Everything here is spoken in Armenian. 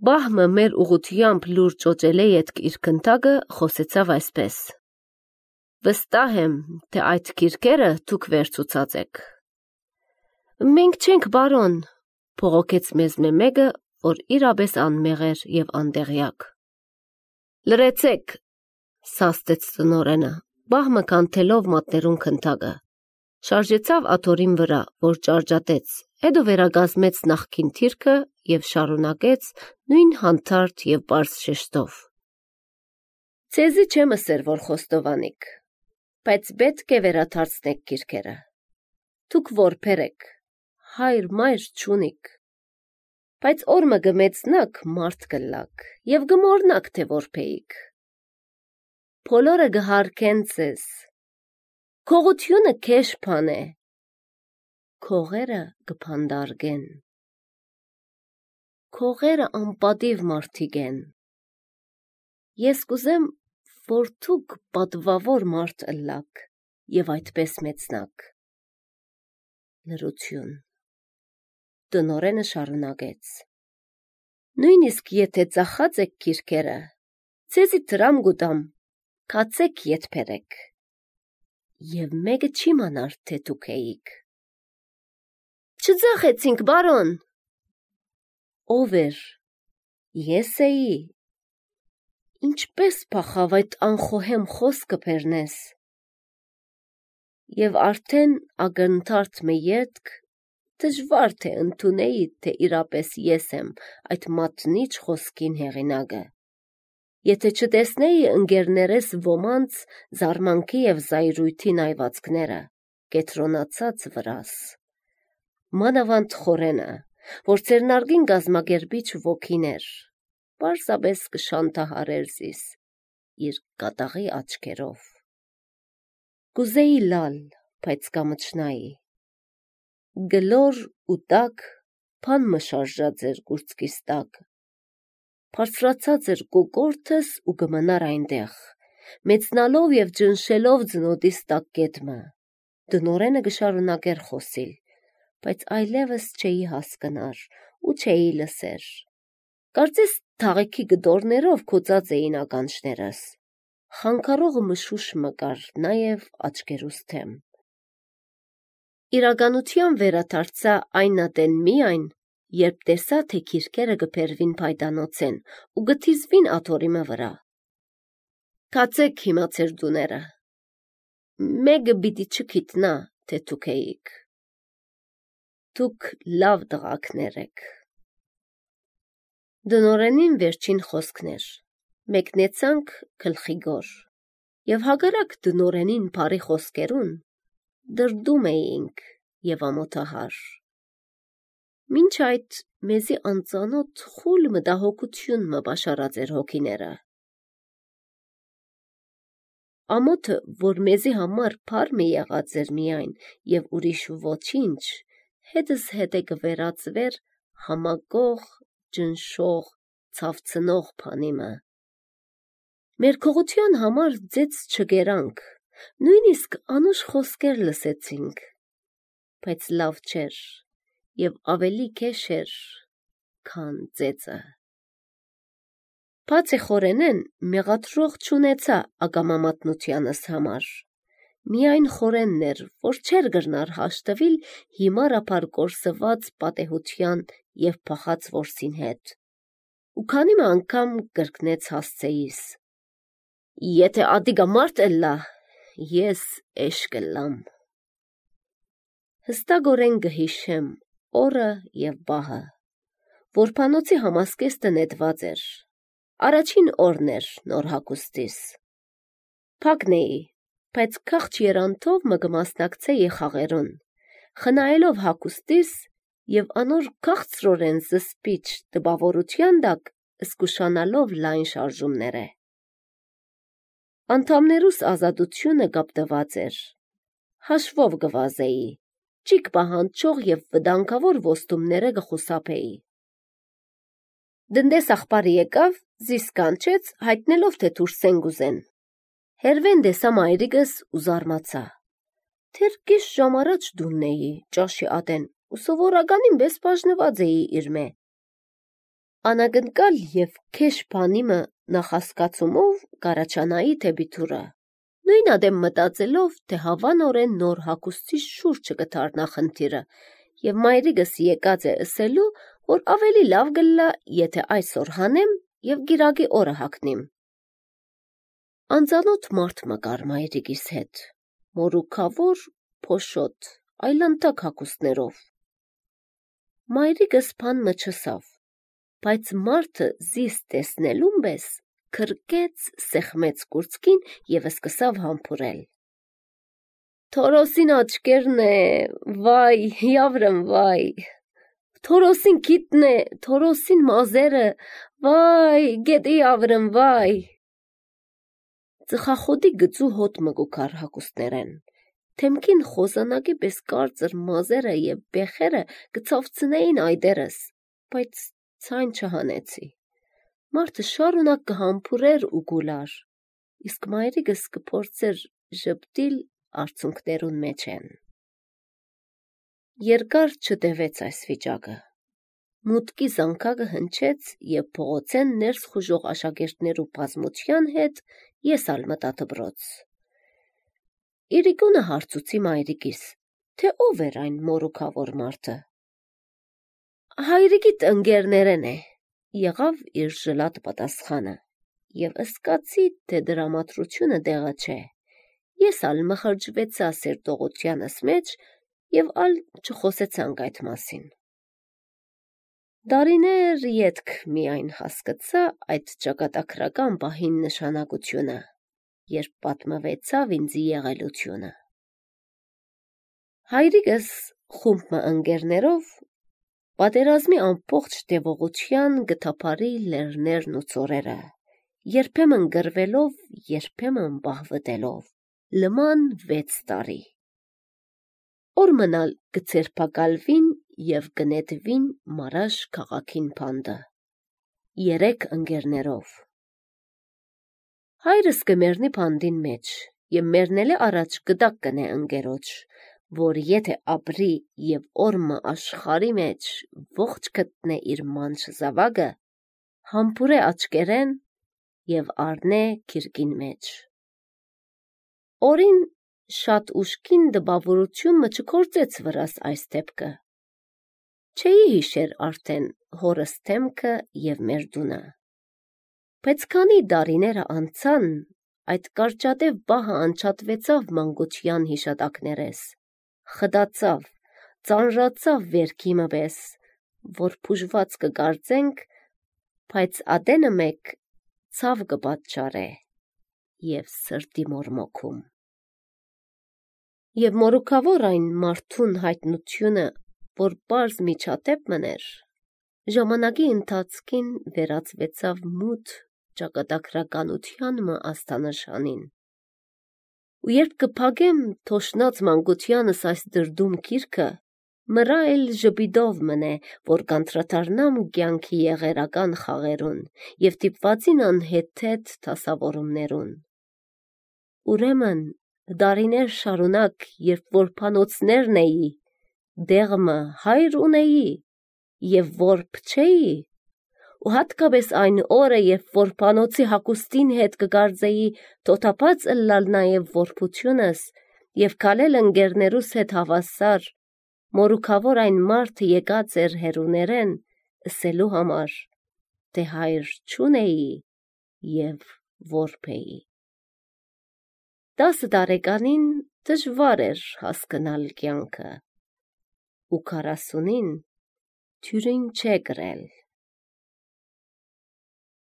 Բահմը մեր ուղղությամբ լուր ճոճել է ետք իր քնթագը խոսեցավ այսպես. Վստահ եմ, թե այդ քիրքերը դուք վերցուցած եք։ Մենք չենք, բարոն, փողոքեց մեզ մեկը, որ իրապես անմեղ էր եւ անդեղյակ։ Լրեցեք, սաստեց տնորենը, բահմը կանթելով մատներուն քնթագը։ Շարժեցավ աթորին վրա, որ ճարճատեց, հետո վերագազմեց նախքին թիրքը եւ շարունակեց նույն հանդարտ եւ բարձ շեշտով. Ցեզի չեմ ասեր, որ խոստովանիք, բայց պետք է վերադարձնեք քիրքերը։ Դուք որբեր եք, հայր մայր չունիք, բայց օրը գմեցնակ մարդ կլակ եւ գմորնակ թե որբեիք։ Բոլորը գհարկեն ցեզ։ Քողությունը քեշ բան է, քողերը գփանդարգեն։ Քողերը անպատիվ մարդիկ են։ Ես կուզեմ, որ դուք պատվավոր մարդ ըլլաք եւ այդպես մեծնաք։ Լրություն։ Տնորենը շարունակեց. Նույնիսկ եթե ծախած եք քիրքերը, ցեզի դրամ գուտամ, կացեք յետբերեք։ Եվ մեկը չի մանար, թե դուք էիք։ Չծախեցինք, բարոն։ Ով էր։ Ես էի։ Ինչպես փախավ այդ անխոհեմ խոսքը բերնես։ Եվ արդեն ակնթարթ մը ետք դժվար թե ընդունեի, թե իրապես ես եմ այդ մատնիչ խոսքին հեղինակը։ Եթե չտեսնեի ընկերներես ոմանց զարմանքի եւ զայրույթի նայվածքները, կետրոնացած վրաս։ Մանավանդ խորենը, որ ծերնարգին գազմագերբիչ ոգիներ, պարզապես կշանտահարեր զիս իր կատաղի աչքերով։ Կուզեի լալ, բայց կամչնայի։ Գլոր ու տակ փան մը շարժած էր գուրծքիս տակ։ Բարձրացած էր կոկորտս ու գմնար այնտեղ, մեծնալով եւ ջնշելով ձնոտիս տակ կետմը։ Դնորենը գշարունակեր խոսիլ, բայց այլևս չէի հասկնար ու չէի լսեր։ Կարծես թաղեքի գդորներով կոծած էին ականջներս։ Խանգարողը մշուշ մկար նաեւ աչքերուս թեմ։ Իրականության վերադարձա այն ատեն միայն, երբ տեսա, թե քիրքերը գբերվին փայտանոցեն ու գթիզվին աթորիմը վրա։ Կացեք հիմա ձեր դուները։ Մեկը պիտի չգիտնա, թե դուք էիք։ Դուք լավ տղակներ եք։ Դնորենին վերջին խոսքներ։ Մեկնեցանք գլխիգոր եւ հակառակ դնորենին բարի խոսքերուն դրդում էինք եւ ամոթահար։ Մինչ այդ մեզի անծանոթ խուլ մտահոգություն մը բաշարած էր հոգիները։ Ամոթը, որ մեզի համար փար մի եղած էր միայն եւ ուրիշ ոչինչ, հետս հետե կվերածվեր համակող, ջնշող, ցավցնող փանիմը։ Մեր քողության համար ձեծ չգերանք, նույնիսկ անուշ խոսքեր լսեցինք, բայց լավ չէր եւ ավելի քեշ էր, քան ձեծը։ Բացի խորենեն մեղադրող չունեցա ակամամատնությանս համար։ Միայն խորենն էր, որ չէր գրնար հաշտվիլ հիմարապար կորսված պատեհության եւ փախած որսին հետ։ Ու քանի անգամ կրկնեց հասցեիս. Եթե ադիգա մարդ էլլա, ես էշ կլամ։ Հստակորեն գհիշեմ օրը եւ բահը։ Որբանոցի համասկեստը նետված էր։ Առաջին օրն էր նոր հագուստիս։ Փակն էի, բայց քաղճ երանթով մը կմասնակցեի խաղերուն, խնայելով հագուստիս եւ անոր քաղցրորեն զսպիչ տպավորության տակ զգուշանալով լայն շարժումները։ Անդամներուս ազատությունը կապտված էր։ Հաշվով գվազեի, ճիք պահանջող եւ վտանգավոր ոստումները կխուսափեի։ Դնդես աղբարի եկավ, զիս կանչեց, հայտնելով, թե դուրսեն գուզեն։ Հերվեն դեսա մայրիկս ու զարմացա։ Թեր կես ժամ առաջ դունն էի, ճաշի ատեն, ու սովորականին բես բաժնված էի իր մե։ Անագնկալ և քեշ բանիմը նախասկացումով կարաչանայի թեպիթուրը, նույն ադեմ մտածելով, թե հավանորեն նոր հակուստի շուրջը կդառնա խնդիրը, և մայրիկս եկած է ըսելու, որ ավելի լավ գլլա, եթե այսօր հանեմ և գիրակի օրը հագնիմ։ Անծանոթ մարդ մկար մայրիկիս հետ, մորուքավոր, փոշոտ, այլանդակ հագուստներով։ Մայրիկս բան մը չսավ, բայց մարդը զիս տեսնելուն պես քրկեց սեղմեց կուրծքին և սկսավ համբուրել. Թորոսին աչկերն է, վայ, яvrեմ, վայ, Թորոսին քիթն է, Թորոսին մազերը, վայ, գետի яvrem, վայ։ Ծխախոտի գծու հոտ մգուքար հագուստներեն, թեմքին խոզանակի պես կարծր մազերը և բեխերը գցավցնեին այդերս, բայց ցայն չհանեցի։ Մարդը շարունակ կհամբուրեր ու գուլար, իսկ մայրիկս կփորձեր ժպտիլ արցունքներուն մեջ են։ Երկար չտևեց այս վիճակը։ Մուտքի զանգակը հնչեց և փողոցեն ներս խուժող աշակերտներու բազմության հետ ես ալ մտա դպրոց։ Իրիկունը հարցուցի մայրիկիս, թե ով էր այն մորուքավոր մարդը։ Հայրիկիդ ընկերներեն է, եղավ իր ժլատ պատասխանը, և ըսկացի, թե դրամատրությունը դեղը չէ։ Ես ալ մխրջվեցա սերտողությանս մեջ և ալ չխոսեցանք այդ մասին։ Դարիներ ետք միայն հասկացա այդ ճակատագրական պահին նշանակությունը, երբ պատմվեցավ ինձի եղելությունը։ Հայրիկս խումբ մը ընկերներով պատերազմի ամբողջ տևողության գտափարի լեռներն ու ծորերը, երբեմն գրվելով, երբեմն բահվտելով, լման 6 տարի։ Օր մնալ գցերպակալվին և գնետվին Մարաշ քաղաքին փանդը, 3 ընկերներով։ Հայրս կմերնի փանդին մեջ և մերնել է առաջ գդակ կնե ընկերոջ, որ եթե ապրի և օրմը աշխարի մեջ ողջ գտնե իր մանչ զավակը, համբուրե աչկերեն և առնե քիրկին մեջ։ Օրին շատ ուշքին դպավորություն մը չքործեց վրաս այս դեպքը։ Չէի հիշեր արդեն հորս դեմքը և մեր դունը։ Բայց քանի դարիները անցան, այդ կարճատև բահը անջատվեցավ մանկության հիշատակներես, խդացավ, ծանրացավ վերքիմը պես, որ բուժված կկարծենք, բայց ադենը մեկ ցավ կպատճառե և սրտի մորմոքում։ Եվ մորուքավոր այն մարդուն հայտնությունը, որ պարզ միջադեպ մըներ, ժամանակի ընթացքին վերածվեցավ մութ ճակատագրականության մը աստանշանին։ Ու երբ կփակեմ թոշնած մանկությանս այս դրդում գիրքը, մըրա էլ ժպիտով մնե, որ կանդրադառնամ կյանքի եղերական խաղերուն և դիպվածին անհեթեթ դասավորումներուն։ Ուրեմն դարիներ շարունակ, երբ որ փանոցներն էի, դեղմը հայր ունեի և որբ չէի, ու հատկապես այն օրը, երբ որ փանոցի հագուստին հետ կգարձեի թոթափած ըլլալ նաև որբությունս և քալել ընկերներուս հետ հավասար, մորուքավոր այն մարդը եկած էր հեռուներեն ըսելու համար, թե հայր չունեի և որբ էի։ 10 տարեկանին դժվար էր հասկնալ կյանքը, ու 40-ին թյուրին չէ կրել։